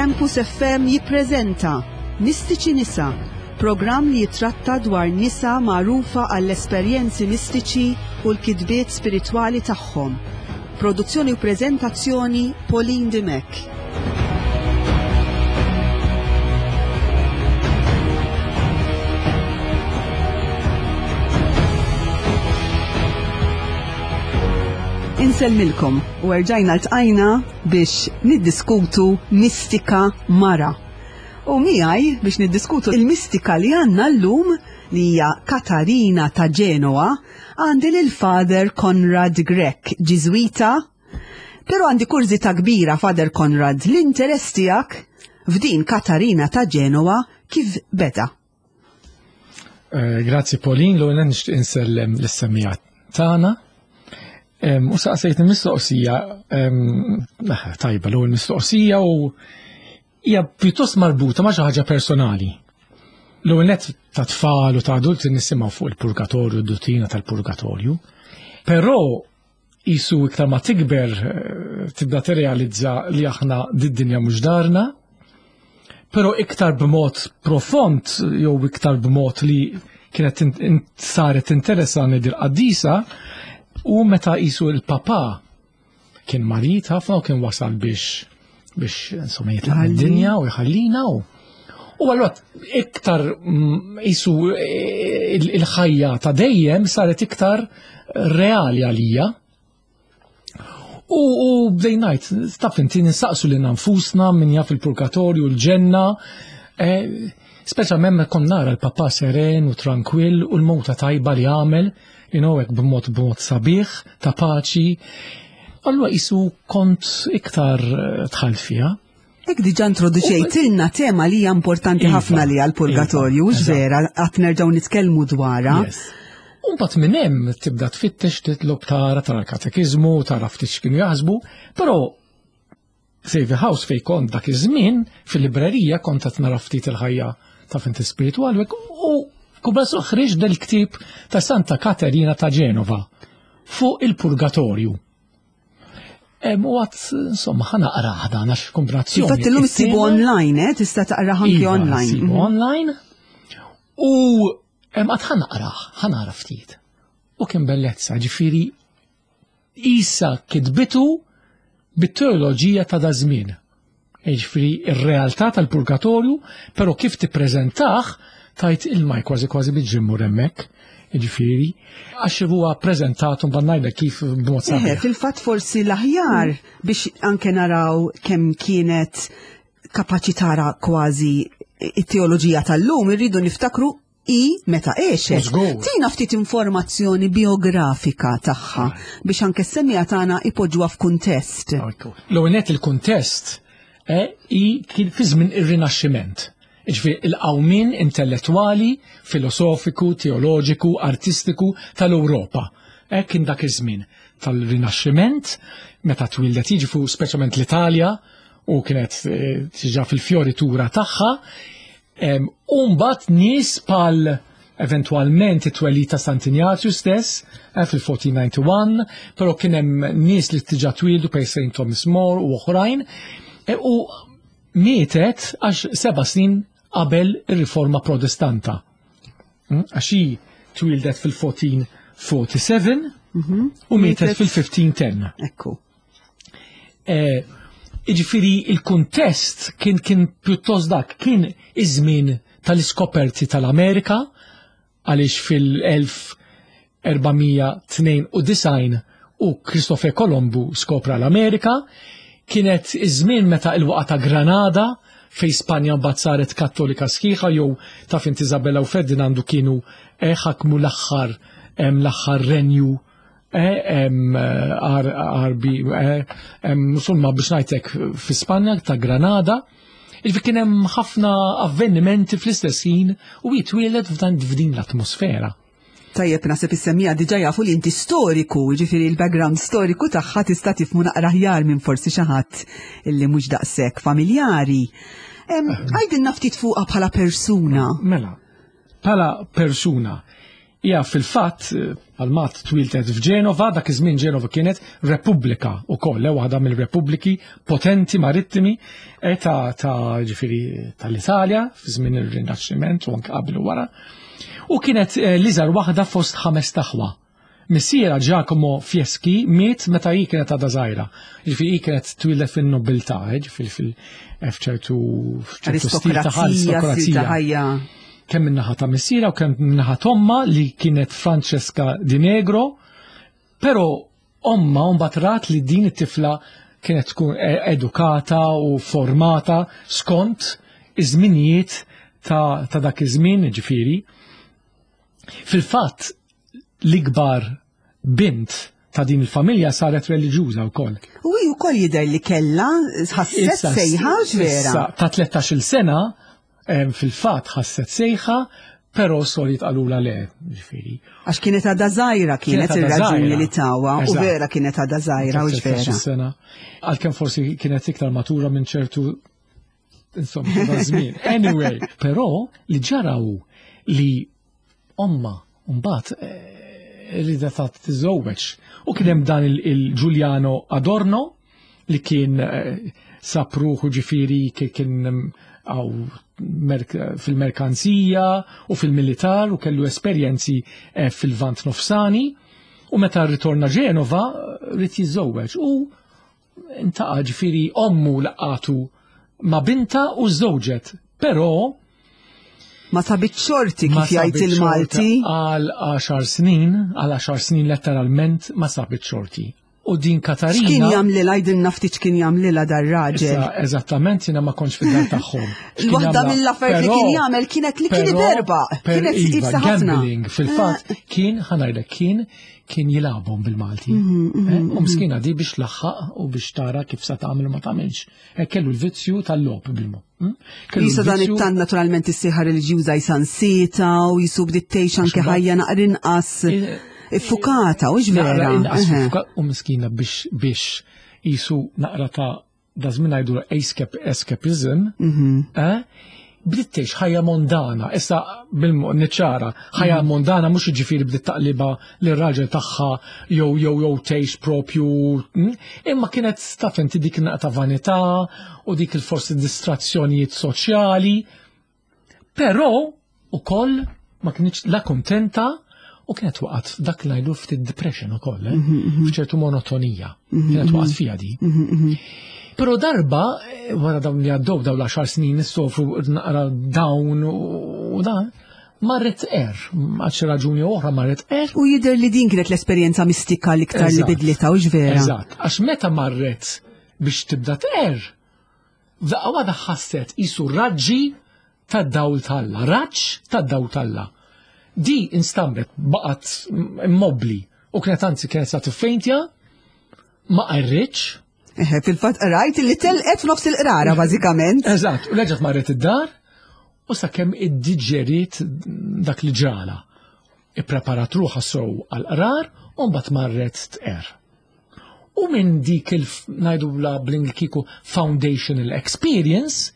Campus FM jippreżenta Mistiċi Nisa, programm li jitratta dwar nisa magħrufa għall-esperjenzi mistiċi u l-kitbiet spiritwali tagħhom. Produzzjoni u preżentazzjoni Pauline Dimech. Insellmilkom u erġajna ltqajna biex niddiskutu mistika mara. U miegħi biex niddiskutu il-mistika li għandna llum li hija Katarina ta' Genoa għandi lil Father Conrad Grech, Ġiżwita. Però għandi kurżità kbira Father Conrad, l-interess tiegħek f'din Katarina ta' Genoa kif beda? Eh, grazzi Pauline, l-għuna nixtieq insellem l-semmija tagħna. U saqsejt mistoqsija tajba l-ewwel mistoqsija u hija pjuttost marbuta ma' xi ħaġa personali. L-ewwel nett ta' tfal u ta' adulti nisimgħu fuq il-purgatorju, d-duttrina tal-purgatorju. Però Isu iktar ma tikber eh, tibda tirrealizza li aħna did-dinja mhux darna, però iktar b'mod profond jew iktar b'mod li kienet saret interessani dil-qaddisa u meta isu il-papa kien marit ħafna u kien wasal biex biex insomma jitlaq mid-dinja u jħallina u U allura iktar mm, isu eh, il-ħajja ta' dejjem saret iktar reali għalija. U, u bdejnajt, taf inti ninsaqsu li nfusna min jaf il-purgatorju, l-ġenna, eh, speċjalment meta kont nara l-papa seren u trankwill u l-mowta tajba li għamel, you know, hekk b'mod b'mod sabiħ, ta' paċi. Allura isu kont iktar eh, dħalt fiha. Hekk diġà introduċejtilna tema li hija importanti iva, ħafna li għall-purgatorju, iva, vera, qatt nerġgħu nitkellmu dwarha. Umbat minn hemm tibda tfittex titlob tara tara l-katekiżmu, tara ftit x'kienu jaħsbu, però Save House fej kont dak iż-żmien fil-librerija kont qed nara ftit il-ħajja ta' finti spiritwali u kubasu ħriġ del-ktieb ta' Santa Katerina ta' Ġenova fuq il-purgatorju. U għat, insomma, ħana qraħ dan għax kombinazzjoni. Infatti l-lum issibu online, eh? Tista' taqraħ anki iva, online. Issibu mhm. online. U għat ħana qraħ, ħana ftit. U kien bellezza, ġifiri, isa kitbitu bit-teoloġija ta' da żmien. Jiġifieri r-realtà tal-purgatorju, però kif tippreżentah tajt il-maj kważi kważi biex immur hemmhekk. Jiġifieri, għax huwa ppreżentat u mbagħad ngħidlek kif b'mod sabiħ. Fil-fatt forsi l-aħjar biex anke naraw kemm kienet kapaċi tara kważi it-teoloġija tal-lum irridu niftakru i meta għexet. Tina ftit informazzjoni biografika tagħha biex anke s-semija tagħna ipoġġuha f'kuntest. L-ewwel il-kuntest eh, i kien fi żmien ir-Rinaxximent. Ġifieri il-qawmien intellettwali, filosofiku, teoloġiku, artistiku tal-Ewropa. Eh, kien dak iż-żmien tal-Rinaxximent meta twildet jiġi fuq speċjalment l-Italja u kienet eh, tiġa fil-fjoritura tagħha U mbagħad nies pal eventwalment it-twelid ta' Sant'Injazju stess eh, fil-1491, però kien hemm nies li tiġa twildu per St. Thomas More u oħrajn, eh, u mietet għax seba' snin qabel ir-riforma protestanta. Hmm? Għax hi twildet fil-1447 mhm. u mietet fil-1510. Ekku. Eh, Iġifiri il-kuntest kien kien pjuttost dak, kien iż-żmien tal-iskoperti tal-Amerika għaliex fil-1492 u Christopher Colombu skopra l-Amerika, kienet iż-żmien meta il-waqa ta' Granada fej Spanja mbagħad saret kattolika sħiħa jew taf inti Isabella u Ferdinandu kienu eh, ħakmu l-aħħar l-aħħar renju Arbi, insomma biex ngħidlek fi Spanja ta' Granada, Iġvi kien hemm ħafna avvenimenti fl-istess ħin u jitwieled f'dan f'din l-atmosfera. Tajjeb naħseb is-semmija diġà jafu li inti storiku, jiġifieri l-background storiku tagħha tista' tifhmu naqra aħjar minn forsi xi ħadd illi mhux daqshekk familjari. Għidilna ftit fuqha bħala persuna. Mela, bħala persuna. Hija fil-fatt palmat twiltet f'Ġenova, dak iż-żmien Ġenova kienet repubblika wkoll, eh, waħda mill-repubbliki potenti marittimi eh, ta' ta' ġifieri tal-Italja fi żmien ir-Rinaxximent u anke qabel u wara. U kienet eh, l-iżgħar waħda fost ħames taħwa. Missierha Giacomo Fieschi miet meta hi kienet għadha żgħira. Ġifieri hi kienet twieldet fin-nobiltà, ġifieri fil-ċertu stil ta' aristokrazija. Kemm min-naħa ta' missierha u kemm min-naħa t'ommha li kienet Francesca Di Negro, però omma mbagħad rat li din it-tifla kienet tkun e-, edukata u formata skont iż-żminijiet ta', ta dak iż-żmien, ġifieri. Fil-fatt l-ikbar bint ta' din il-familja saret reliġjuża wkoll. U hi wkoll jidher li kellha ħasset sejħa vera. Ta' 13-il sena fil-fatt ħasset sejħa, però sorijiet qalulha le, ġifieri. Għax kienet għadha żgħira kienet ir-raġuni li tawa u vera kienet għadha żgħira u vera. Sena. Għalkemm forsi kienet iktar matura minn ċertu insomma ta' żmien. Anyway, però li ġara hu li omma mbagħad eh, rida ta' tiżżewweġ. U kien hemm dan il-Giuliano Adorno li kien eh, sab ruħu ġifieri kien mm, għaw fil-merkanzija u fil-militar u kellu esperjenzi eh, fil-vant nofsani u meta rritorna Ġenova rrid jiżżewweġ u intaqa' ġifieri ommu laqatu ma' binta u żżewġet, però ma sabit xorti kif jgħid il-Malti. Għal 10 snin, għal 10 snin letteralment ma sabit xorti. U din Katarina. X'kien jagħmlilha jgħidilna ftit x'kien jagħmlilha dar-raġel. Eżattament jiena ma kontx fid-dar tagħhom. Waħda mill-affarijiet li kien jagħmel kienet li kien iberba. Kienet iva, ħafna. Gambling fil-fatt eh. kien ħanajdlek kien kien jilagħbhom bil-Malti. Mhm, mhm, eh, u mhm. miskina di biex laħħaq u biex tara kif sa tagħmel u ma tagħmilx. Eh, kellu l-vizzju tal-logħob bil-mo. Hm? Jisa dan it-tan naturalment is-sieħa reliġjuża jisansita u jisu bdiet tgħix anke ħajja naqra inqas iffukata u vera. Inqas u miskina biex biex jisu naqra ta' da żmien ngħidu escapism, mhm. eh, bdiet tgħix ħajja mondana, issa bil-niċċara, ħajja mhm. mondana mhux jiġifieri bdiet taqliba lir raġel tagħha jew jew jew tgħix propju, hm, imma kienet taf inti dik naqta vanità u dik il-forsi distrazzjonijiet soċjali. Però ukoll ma kienx la kontenta u kienet waqgħet dak li ngħidu ftit depression ukoll, eh? Mhm, mhm. f'ċertu monotonija. Mhm, kienet waqgħet fiha di. Però darba, eh, wara dawn li għaddew dawn l-10 snin issofru naqra dawn u dan, marret er, għal xi raġuni oħra marret er. U jidher li din kienet l-esperjenza mistika l-iktar li bidlita u vera. Eżatt, għax meta marret biex tibda tqer, F'daqqa waħda ħasset qisu raġġi tad-dawl t'Alla, raġġ tad-dawl t'Alla. Di instamret, baqgħet immobbli u kienet anzi kienet sa tiffejntja, ma qarritx. Eħe, fil-fatt qrajt li telqet f'nofs il-qrara bażikament. Eżatt, u reġgħet marret id-dar u sakemm iddiġeriet dak li ġrala. Ippreparat ruħha sew għall-qrar u mbagħad marret tqerr. U minn dik il ngħidula bl-Ingliż foundational experience,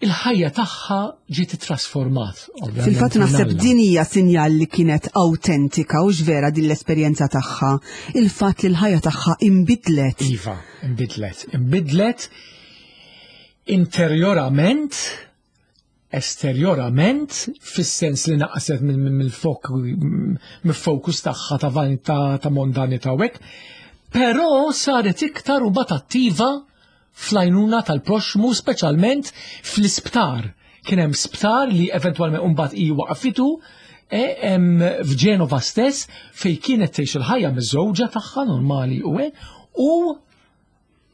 il-ħajja tagħha ġiet trasformat. Fil-fatt naħseb din hija sinjal li kienet awtentika u vera din l-esperjenza tagħha, il-fatt li l-ħajja tagħha imbidlet. Iva, imbidlet. Imbidlet interjorament esterjorament fis-sens li naqset mill-fokus tagħha ta' vanità ta' mondanità u hekk, però saret iktar u bat attiva fl-għajnuna tal-proxxmu speċjalment fl-isptar. Kien hemm sptar li eventwalment mbagħad hi waqfitu e, f'Ġenova stess fejn kienet tgħix il-ħajja miż-żewġa tagħha normali u hekk u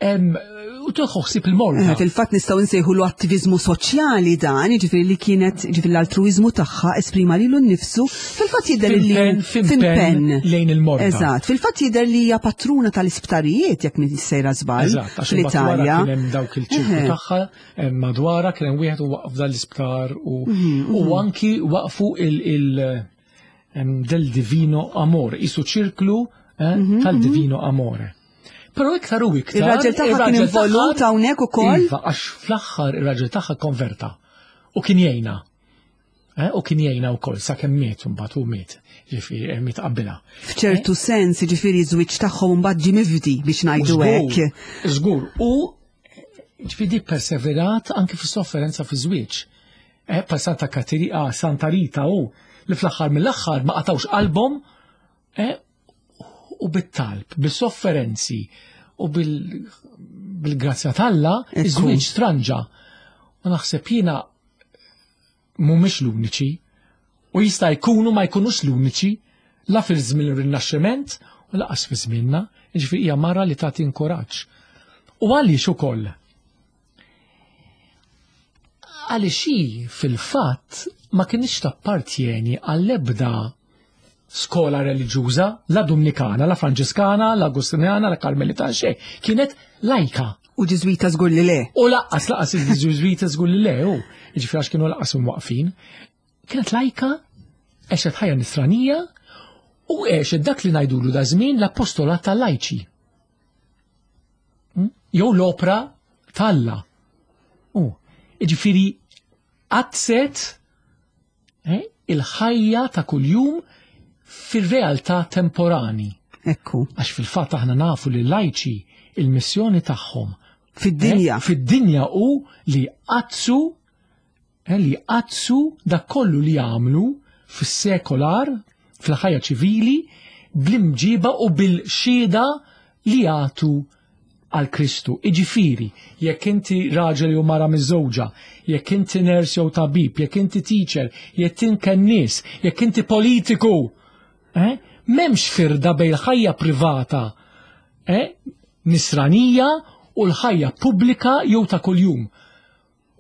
U tuħu ħsieb il-morda. Eh, fil-fatt nistgħu nsejħu l attivizmu soċjali dan, jiġifieri li kienet jiġifieri l-altruiżmu tagħha esprima lilu nnifsu, fil-fatt jidher li fimpen lejn il-morda. Eżatt, fil-fatt jidher li hija patruna tal-isptarijiet jekk minn sejra żball fl-Italja. Kien hemm dawk il-ċirku eh. tagħha eh, madwara kien hemm wieħed u waqf dal-isptar u mhm, mhm. anki waqfu il- del divino amore, isu ċirklu mhm, tal-divino amore. Però iktar u iktar. Ir-raġel tagħha kien involut hawnhekk ukoll. Iva, għax fl-aħħar ir-raġel tagħha konverta u kien jgħinha. Eh, u kien jgħinha wkoll sakemm miet imbagħad u miet, ġifieri eh, miet qabilha. F'ċertu eh? sens, ġifieri żwieġ tagħhom imbagħad ġie mifdi biex ngħidu hekk. Żgur, u ġifieri perseverat anke fis-sofferenza fi żwieġ. Pa Santa Katerina, ah, Santa Rita u li fl-aħħar mill-aħħar ma qatawx qalbhom u bit-talb, bis-sofferenzi u bil-grazzja t'Alla, iż-żwieġ stranġa. U naħseb jiena mhumiex l-uniċi u jista' jkunu ma jkunux l-uniċi la fil-żmien ir-Rinaxximent u laqas fi żmienna, jiġifieri hija mara li tagħti inkoraġġ. U għaliex ukoll? Għaliex hi fil-fatt ma kienx tappartjeni għall-ebda skola reliġjuża, la Dumnikana, la Franġiskana, la Agustinjana, la Karmelitana, xejn. Kienet lajka. U Ġiżwita żgur li le. U laqqas laqas il-Ġiżwita żgur li le, u ġifieri għax kienu laqas imwaqfin. Kienet lajka, għexet ħajja nisranija u għexet dak li ngħidulu da żmien l-apostolat tal-lajċi. Hmm? Jew l-opra talla. U, ġifieri qaddset eh, il-ħajja ta' kuljum fir-realtà temporani. Ekku. Għax fil-fatt aħna nafu li lajċi il-missjoni tagħhom fid-dinja. Eh, fid-dinja u li qaddsu eh, li qaddsu dak kollu li jagħmlu fis-sekolar, fil-ħajja ċivili, bl-imġiba u bil-xhieda li jagħtu għal Kristu. Iġifieri, jekk inti raġel jew mara miżżewġa, jekk inti nurse jew tabib, jekk inti teacher, jekk inti kennies, jekk inti politiku, eh? M'hemmx firda bejn il-ħajja privata eh? nisranija u l-ħajja pubblika jew ta' kuljum.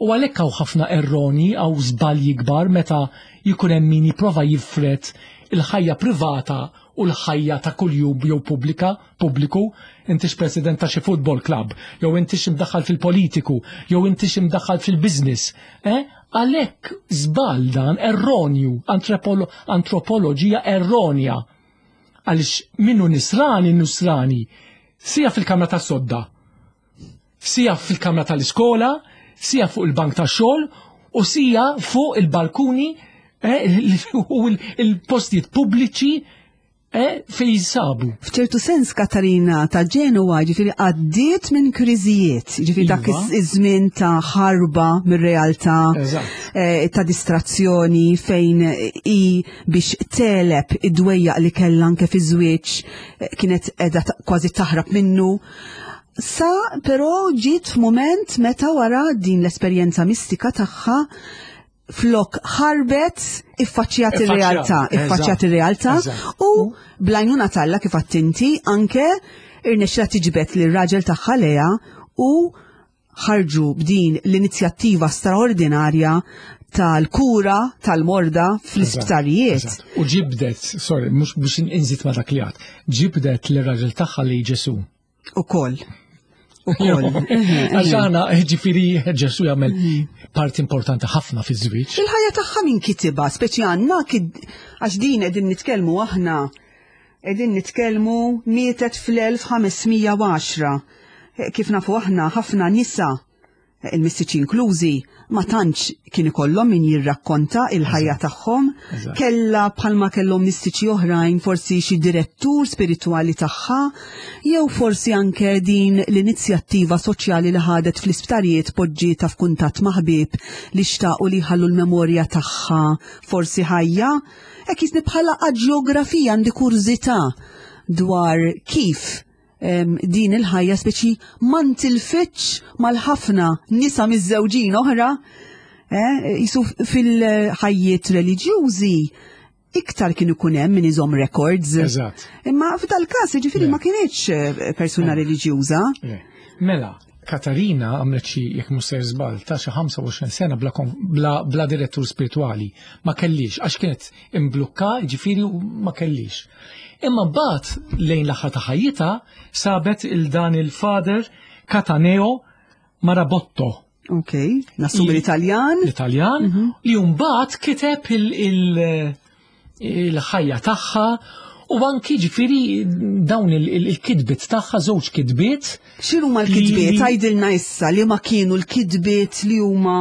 U għalhekk hawn ħafna erroni, hawn żbalji kbar meta jkun hemm min jipprova jifred il-ħajja privata u l-ħajja ta' kuljum jew pubblika, pubbliku, intix president ta' xi football club, jew intix imdaħħal fil-politiku, jew intix imdaħħal fil-business. Eh? Għalhekk żball dan erronju, antropoloġija erronja. Għaliex minnu nisrani nusrani, sija fil-kamra tas-sodda, sija fil-kamra tal-iskola, sija fuq il-bank tax-xogħol u sija fuq il-balkuni eh, u il-postijiet pubbliċi eh, fejn jinsabu. F'ċertu sens Katarina ta' Ġenwa ġifieri għaddiet minn kriżijiet, ġifieri dak iva. iż-żmien ta' ħarba mir-realtà, eh, ta' distrazzjoni fejn i biex teleb id-dwejjaq li kellha anke fi żwieġ kienet qiegħda kważi taħrab minnu. Sa però ġiet f'mument meta wara din l-esperjenza mistika tagħha flok ħarbet iffaċċjat ir-realtà, iffaċċjat ir-realtà u blajnuna talla kif attinti anke irnexxila tiġbed lir raġel tagħha leja u ħarġu b'din l-inizjattiva straordinarja tal-kura tal-morda fl-isptarijiet. U ġibdet, sorry, mhux biex inżid ma dak li għad, ġibdet l-raġel tagħha li Ġesu. Ukoll. Ukoll. Għax aħna ġifieri Ġesu jagħmel parti importanti ħafna fiż-żwieġ. Il-ħajja tagħha min kitibha, speċi għandna għax din qegħdin nitkellmu aħna qegħdin nitkellmu mietet fl-1510. Kif nafu aħna ħafna nisa il-mistiċi inklużi, ma tantx kien ikollhom min jirrakkonta il-ħajja tagħhom. Kella bħalma kellhom mistiċi oħrajn forsi xi direttur spiritwali tagħha, jew forsi anke din l-inizjattiva soċjali li ħadet fl-isptarijiet poġġietha f'kuntatt ma' ħbieb li xtaqu li jħallu l-memorja tagħha forsi ħajja. Hekk jisni bħala aġjografija għandi kurżità dwar kif din il-ħajja speċi ma ntilfitx mal-ħafna nisa miż-żewġin oħra eh, jisu fil-ħajjiet reliġjużi iktar kien ikun hemm min iżomm records. Eżatt. Imma f'dal-każ jiġifieri ma kienx eh, persuna reliġjuża. Mela, Katarina għamlet xi jekk mhux ser żball ta' xi 25 sena bla, bla, bla direttur spiritwali. Ma kellix għax kienet imblukka, ġifieri ma kellix. Imma mbagħad lejn l-aħħar ta' ħajjitha sabet il dan il-father Cataneo Marabotto. Ok, nassum l-Italjan. L-Italjan, mhm. li mbagħad kiteb il-ħajja tagħha u anki ġifieri dawn il-kitbiet tagħha żewġ kitbiet. X'inhuma l-kitbiet? Għidilna issa li ma kienu l-kitbiet li huma.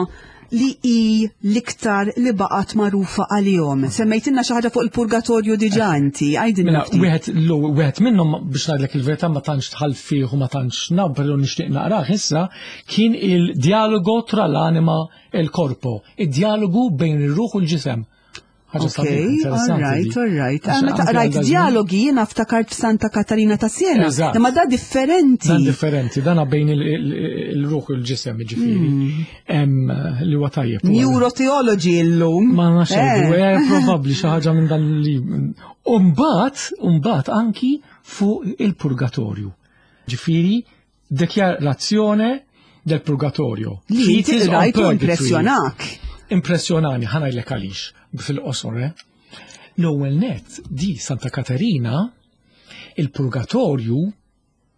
li hi l-iktar li baqgħet magħrufa għalihom? Semmejtilna xi ħaġa fuq il-purgatorju diġà inti, għidilna Mela, ftit. wieħed l- wieħed minnhom biex ngħidlek il-verità ma tantx dħal fih u ma tantx naf, però nixtieq naqrah issa, kien il-dialogo tra l-anima e l-corpo, id-dialogu bejn ir-ruħ u l-ġisem. Ħaġa Ok, sabiħa, interessanti all right, di. all right. Għax Meta anke qrajt għal dażmin- dialogi jiena ftakart f'Santa Katarina ta' Siena. Eżatt. Imma da differenti. Dan differenti, dan bejn il-ruħ u l-ġisem, ġifieri. Li huwa tajjeb. Neurotheology illum. Ma nafx, probabbli xi ħaġa minn dan li. Umbagħad anki fuq il-purgatorju. Ġifieri, Dikjarazzjone del Purgatorio. Li inti Treatise on rajt u Purgatory. impressjonak. Impressjonani, ħa ngħidlek għaliex, fil-qosor, eh? L-ewwel net di Santa Katerina, il-purgatorju,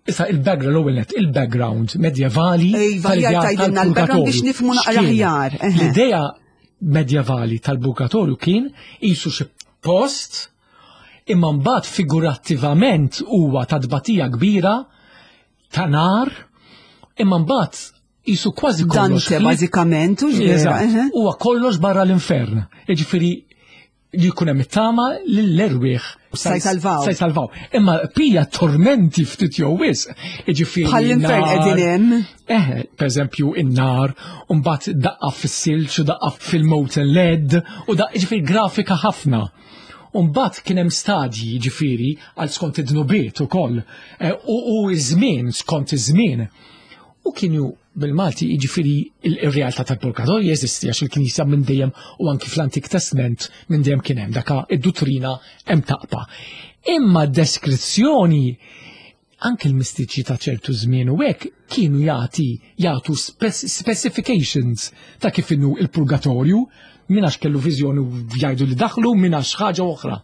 issa il-background, l-ewwel net, il-background medjevali Iva, tal-idea aħjar tgħidilna l-background biex tal-purgatorju. nifhmu naqra X'kien? aħjar, eħe. L-idea medjevali tal-purgatorju kien qisu xi post imma mbagħad figurattivament huwa ta' tbatija kbira ta' nar, imma mbagħad qisu kważi kollox. Dante bażikament u x'vera. Eżatt, eħe. huwa kollox barra l-infern. Jiġifieri li jkun hemm it-tama lill-erwieħ Sa jsalvaw. Sa jsalvaw. Imma pija tormenti ftit jew wisq. Jiġifieri Bħall-infern nar- qegħdin hemm. Eħe, per eżempju, in-nar, u mbagħad daqqa fis-silġ u daqqa fil-molten lead, u daqqa ġifieri grafika ħafna. U mbagħad kien hemm stadji ġifieri għal skont id-dnubiet ukoll, u iż-żmien skont iż-żmien. U kienu bil-Malti jiġifieri il-realtà tal-purgatorju jeżisti għax il-Knisja minn dejjem u anki fl-Antik Testament minn dejjem kien hemm daka id-duttrina hemm taqpa. Imma deskrizzjoni anke l-mistiċi ta' ċertu żmien u hekk kienu jagħti jagħtu specifications ta' kif inhu il-purgatorju, min għax kellu viżjoni u jgħidu li daħlu, min għax ħaġa oħra.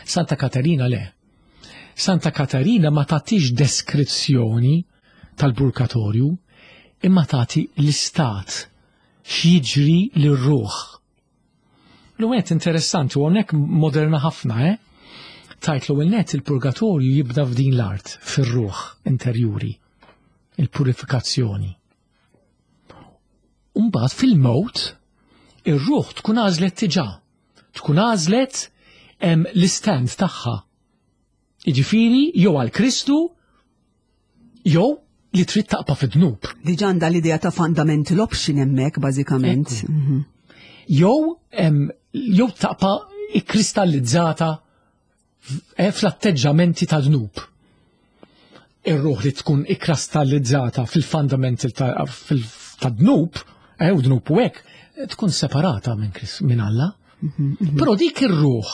Santa Katarina le. Santa Katarina ma tagħtix deskrizzjoni tal-purgatorju, imma tagħti l-istat x'jiġri lir-ruħ. L-għet interessanti u hawnhekk moderna ħafna, eh? Tajt l net il-purgatorju jibda f'din l-art, fir-ruħ interjuri, il-purifikazzjoni. Umbagħad fil-mewt, ir-ruħ tkun għażlet diġà, tkun għażlet l-istand tagħha. Jiġifieri jew għal Kristu jew li trid taqpa' fid-dnub. Diġà għandha l-idea ta' fundamental option hemmhekk bażikament. Jew jew taqpa' ikristallizzata fl-atteġġamenti ta' dnub. Ir-ruħ li tkun ikristallizzata fil-fundamental ta' dnub, u dnub u hekk, tkun separata minn Alla. Però dik ir-ruħ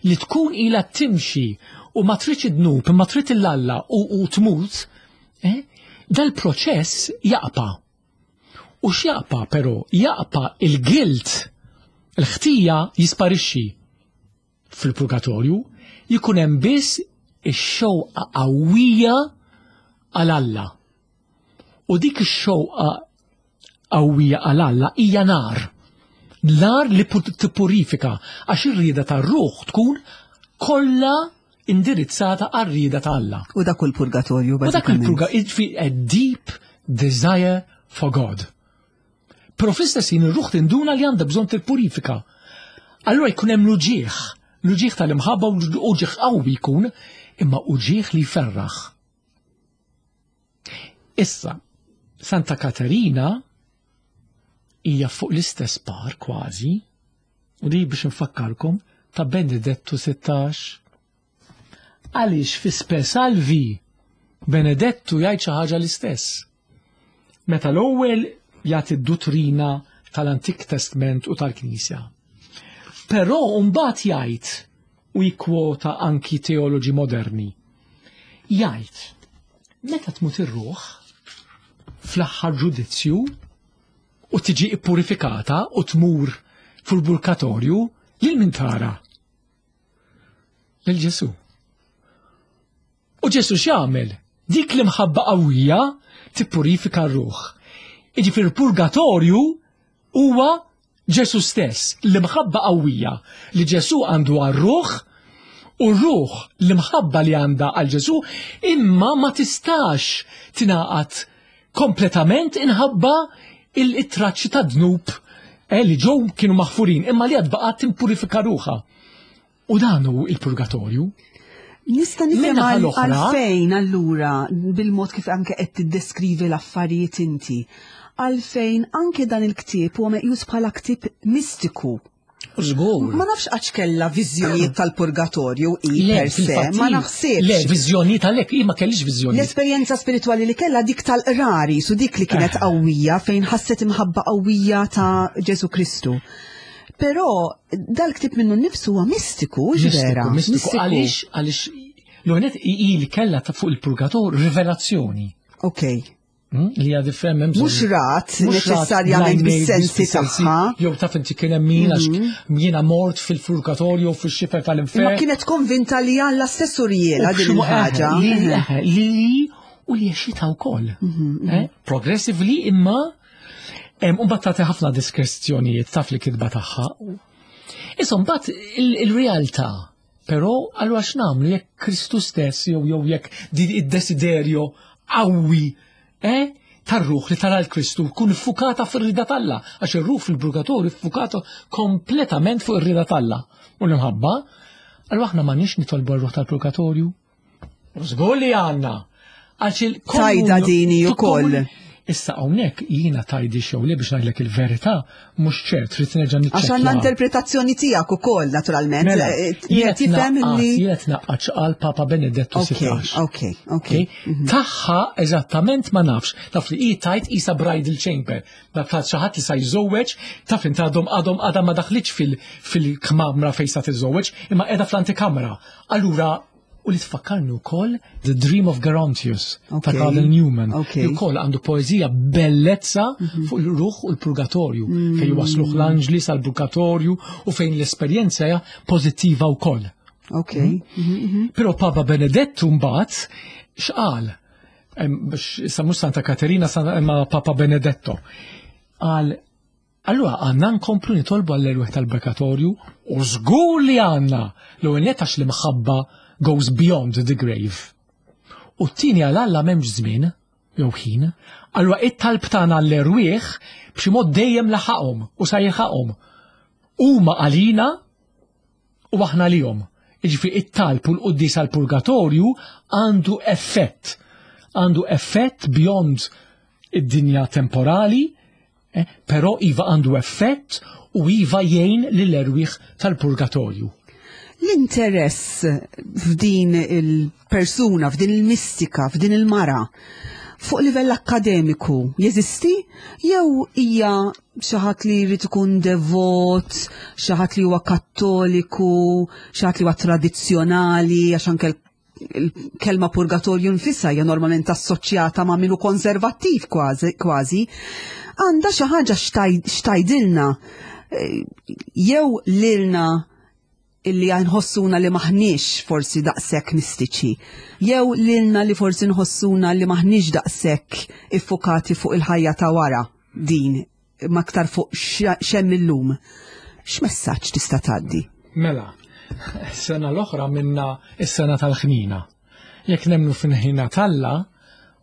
li tkun ilha timxi u ma tridx id-dnub, ma trid il-Alla u tmut, dal-proċess jaqpa'. U x'jaqpa' però? Jaqpa' il-guilt, il-ħtija jisparixxi fil-purgatorju, jkun hemm biss ix-xewqa qawwija għal Alla. U dik ix-xewqa qawwija għal Alla hija nar. Nar li tippurifika, għax ir-rieda tar-ruħ tkun kollha indirizzata għar-rieda ta' Alla. U dak il-purgatorju, U dak bażikament. il-purgatorju, jiġifieri a deep desire for God. Però fl-istess ħin ir-ruħ tinduna li għandha bżonn tippurifika. Allura jkun hemm l-uġieħ, l-uġieħ tal-imħabba u uġieħ qawwi jkun, imma uġieħ li jferraħ. Issa, Santa Katerina hija fuq l-istess par kważi, u di biex nfakkarkom ta' Benedettu 16. Għaliex fi Spe Salvi Benedettu jgħid xi ħaġa l-istess. Meta l-ewwel jagħti d-duttrina tal-Antik Testament u tal-Knisja. Però mbagħad jgħid u jikkwota anki teoloġi moderni. Jgħid, meta tmut ir-ruħ fl-aħħar ġudizzju u tiġi ippurifikata u tmur fil-purgatorju, lil min tara? Lil Ġesu. U Ġesu x'jagħmel? Dik l-imħabba qawwija tippurifika r-ruħ. Jiġifieri il-purgatorju huwa Ġesu stess, l-imħabba qawwija li Ġesu għandu għar-ruħ u r-ruħ l-imħabba li għandha għal Ġesu imma ma tistax tingħaqad kompletament inħabba il-traċċi ta' dnub eh, li ġew kienu maħfurin imma li għad baqgħet timpurifika ruħha. U dan hu il-purgatorju. Nista' nifhem għalfejn allura bil-mod kif anke qed tiddeskrivi l-affarijiet inti. Għalfejn anke dan il-ktieb huwa meqjus bħala ktieb mistiku. Żgur. Ma nafx għax kellha viżjonijiet tal-purgatorju i per se, ma naħsibx. Le, viżjonijiet għalhekk hi ma kellix viżjonijiet. L-esperjenza spiritwali li kellha dik tal-qrari, su dik li kienet eh. qawwija fejn ħasset imħabba qawwija ta' Ġesu Kristu. Però dal-ktieb minnu nnifsu huwa mistiku, vera. Mistiku, għaliex għaliex l-għonet li kella ta' fuq il-purgator rivelazzjoni. Ok. Hmm? Li għad ifhem hemm Mhux rat neċessarjament bis-sensi tagħha. Jew taf inti kien hemm min għax mhm. jiena mort fil-purgatorju fix-xifer tal-infern. Ma kienet konvinta li Alla stess urjiela din il-ħaġa. Li u li għexitha wkoll. Mhm, mhm. Eh? Progressively imma U mbagħad tagħti ħafna diskrezzjonijiet taf li kitba tagħha. Issa mbagħad il-realtà, però allura x'nagħmlu jekk Kristu stess jew jew jekk din id-desiderjo qawwi eh, tar-ruħ li tara l-Kristu kun iffukata fir-rida t'Alla, għax ir-ruħ fil-purgatorju iffukata kompletament fuq ir-rida t'Alla. U l-imħabba, allura aħna m'għandniex nitolbu r-ruħ tal-purgatorju. Żgur li għandna. Tajda dini ukoll. Issa hawnhekk jiena tajdi xew li biex ngħidlek il-verità mhux ċert trid nerġa' niċċekkja. Għax għandna interpretazzjoni tiegħek ukoll naturalment. Mela, eh, eh, tifhem li jiena tnaqqax għal Papa Benedettu XVI. Ok, ok. Mhm. Tagħha eżattament ma nafx, taf li hi tajt isa bridal chamber, dak ta' xi ħadd li sa jżewweġ, taf inti għadhom għadhom għadha ma daħlitx fil-kmamra fejn sa tiżżewweġ, imma qiegħda fl-antikamra. Allura u li tfakkarni wkoll The Dream of Gerontius okay. ta' Carl Newman. Okay. Li wkoll għandu poeżija bellezza mm -hmm. fuq il-ruħ u l-purgatorju, mm -hmm. fejn wasluh l-anġli sal-purgatorju u fejn l-esperjenza hija pożittiva wkoll. Ok. Mm -hmm. Però Papa Benedettu mbagħad x'qal? Issa mhux Santa Katerina imma Papa Benedetto. Qal Allura għandna nkomplu nitolbu għall-erwieħ tal-purgatorju u żgur li għandna l-ewwel nett għax l-imħabba goes beyond the grave. U t-tieni għal Alla m'hemmx żmien jew ħin. Allura it-talb tagħna għall-erwieħ b'xi mod dejjem laħaqhom u sa jilħaqhom. Huma għalina u aħna għalihom. Jiġifieri it-talb u l-quddies għall-purgatorju għandu effett. Għandu effett beyond id-dinja temporali, eh, però iva għandu effett u iva jgħin lill-erwieħ tal-purgatorju. L-interess f'din il-persuna, f'din il-mistika, f'din il-mara, fuq livell akkademiku jeżisti jew hija xi ħadd li jrid ikun devot, xi ħadd li huwa kattoliku, xi ħadd li huwa tradizzjonali, għax anke il-kelma purgatorju nfisha hija normalment assoċjata ma' minu konservattiv kważi, għandha xi ħaġa xtajdilna eh, jew lilna illi nħossuna li maħniex forsi daqshekk mistiċi, jew lilna li forsi nħossuna li maħniex daqshekk iffukati fuq il-ħajja ta' wara din ma aktar fuq xemm illum. X'messaġġ tista' tgħaddi? Mela, sena l-oħra minna is-sena tal-ħnina. Jekk nemnu fil-ħina t'Alla,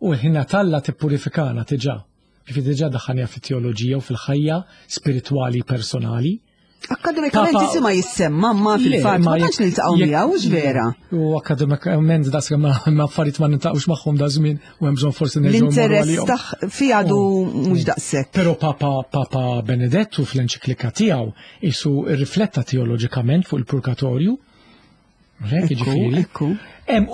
u l-ħina t'Alla tippurifikana diġà. Ġifieri diġà daħħalniha fit-teoloġija u fil-ħajja spiritwali personali. Akademikament isima jissemma, ma fil-fatt ma tantx niltaqgħu miegħu, hux vera. U akademikament das ma affarijiet ma niltaqgħux magħhom da żmien u hemm bżonn forsi nerġgħu. L-interess taħ fi għadu mhux daqshekk. Però Papa Papa Benedettu fl-enċiklika tiegħu isu rrifletta teoloġikament fuq il-purgatorju Hekk jiġifieri.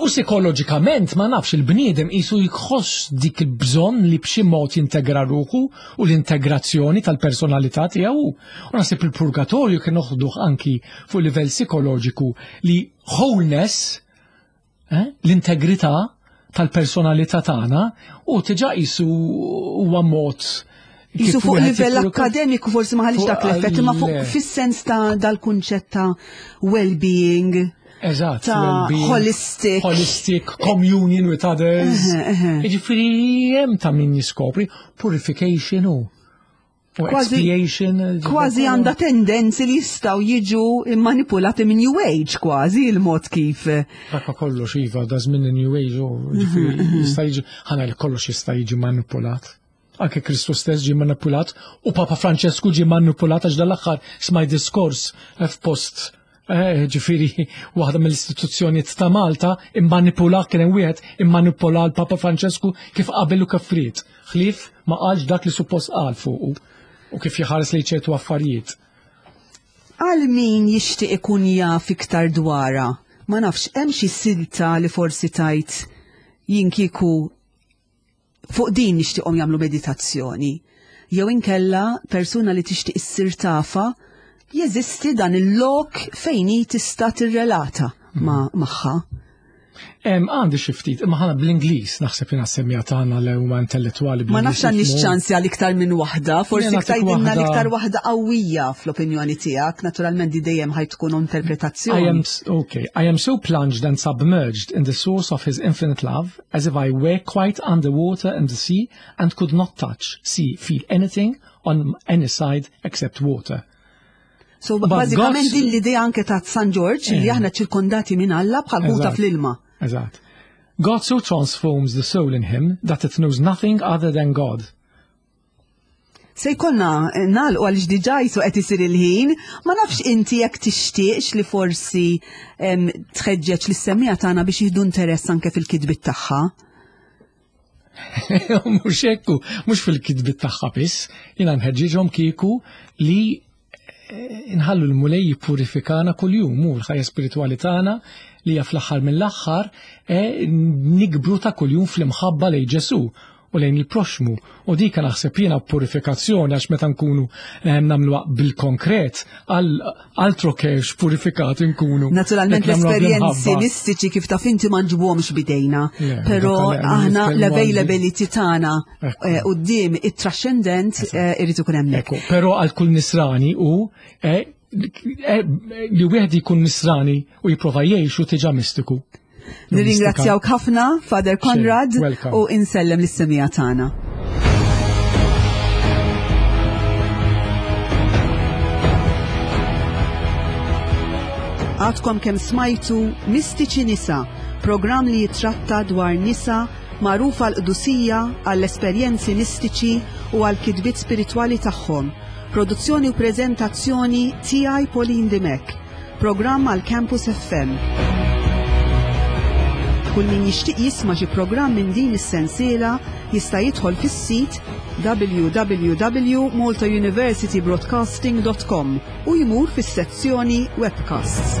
U psikoloġikament ma nafx il-bniedem qisu jħoss dik il-bżonn li b'xi mod jintegra ruħu u l-integrazzjoni tal-personalità tiegħu. U naħseb il-purgatorju kien noħduh anki fuq livell psikoloġiku li wholeness, eh, l-integrità tal-personalità tagħna u tiġa qisu huwa mod Jisu fuq livell akademiku forsi ma ħalix dak l-effett, imma fuq fis-sens ta' dal-kunċett ta' well-being. Eżatt, ta' holistic. Holistic, communion with others. Jiġifieri hemm ta' min jiskopri purification u expiation. Kważi għandha tendenzi li jistgħu jiġu manipulati minn New Age kważi il-mod kif. Dakka kollox iva, da żmien New Age u jista' jiġi ħana li kollox jista' jiġi manipulat. Anke Kristu stess ġie manipulat u Papa Francesku ġie manipulat għax dal-aħħar smaj diskors f'post eh, ġifiri waħda mill-istituzzjonijiet ta' Malta immanipula kien hemm wieħed immanipula l-Papa Francesku kif qabel u kif ried. Ħlief ma qalx dak li suppost qal fuqu u kif jħares li ċertu affarijiet. Għal min jixtieq ikun jaf iktar dwarha, ma nafx hemm xi silta li forsi tajt jien kieku fuq din nixtieqhom jagħmlu meditazzjoni. Jew inkella persuna li tixtieq issir tafa jeżisti dan il-lok fejn hi tista' tirrelata ma' magħha. Għandi xi ftit, imma ħana bl-Ingliż naħseb jiena semmija tagħna li huma intellettwali. Ma nafx għandix ċansi għal iktar minn waħda, forsi tgħidilna l-iktar waħda qawwija fl-opinjoni tiegħek, naturalment di dejjem ħaj tkun interpretazzjoni. I am okay, I am so plunged and submerged in the source of his infinite love as if I were quite underwater in the sea and could not touch, see, feel anything on any side except water. So bażikament din l-idea anke ta' San Ġorġ li eh. aħna ċirkondati minn Alla bħal ħuta fl-ilma. Eżatt. God so transforms the soul in him that it knows nothing other than God. Se jkollna eh, nagħlqu għaliex diġà jisu qed isir il-ħin, ma nafx inti jekk tixtieqx li forsi tħeġġeġ lis-semmiegħa tagħna biex jieħdu interess anke fil-kitbiet tagħha. Mhux hekk, mhux fil-kitbiet tagħha biss, jiena nħeġġiġhom kieku li eh, nħallu l-Mulej jippurifikana kuljum u l-ħajja spiritwali tagħna li hija fl-aħħar mill-aħħar eh, nikbru ta' kuljum fl-imħabba lejn Ġesù u lejn il-proxmu. U dik naħseb jiena purifikazzjoni għax meta nkunu eh, nagħmluha bil-konkret għal altro kex purifikati nkunu. Naturalment l-esperjenzi mistiċi kif taf inti ma nġibuhomx bidejna, però aħna l-availability tagħna eh, quddiem it-trascendent eh, irid ikun hemmhekk. Però għal kull nisrani u li wieħed jkun nisrani u jipprova jgħixu tiġa mistiku. Nirringrazzjawk ħafna, Father Conrad, u insellem lis-semija tagħna. Għadkom kemm smajtu Mistiċi Nisa, programm li jitratta dwar nisa magħrufa l-qdusija għall-esperjenzi mistiċi u għall-kitbiet spiritwali tagħhom. Produzzjoni u preżentazzjoni tiegħi Pauline Dimech. Programm għal Campus FM. Kull min jixtieq jisma' xi programm minn din is-sensiela jista' jidħol fis-sit www.maltauniversitybroadcasting.com u jmur fis-sezzjoni Webcasts.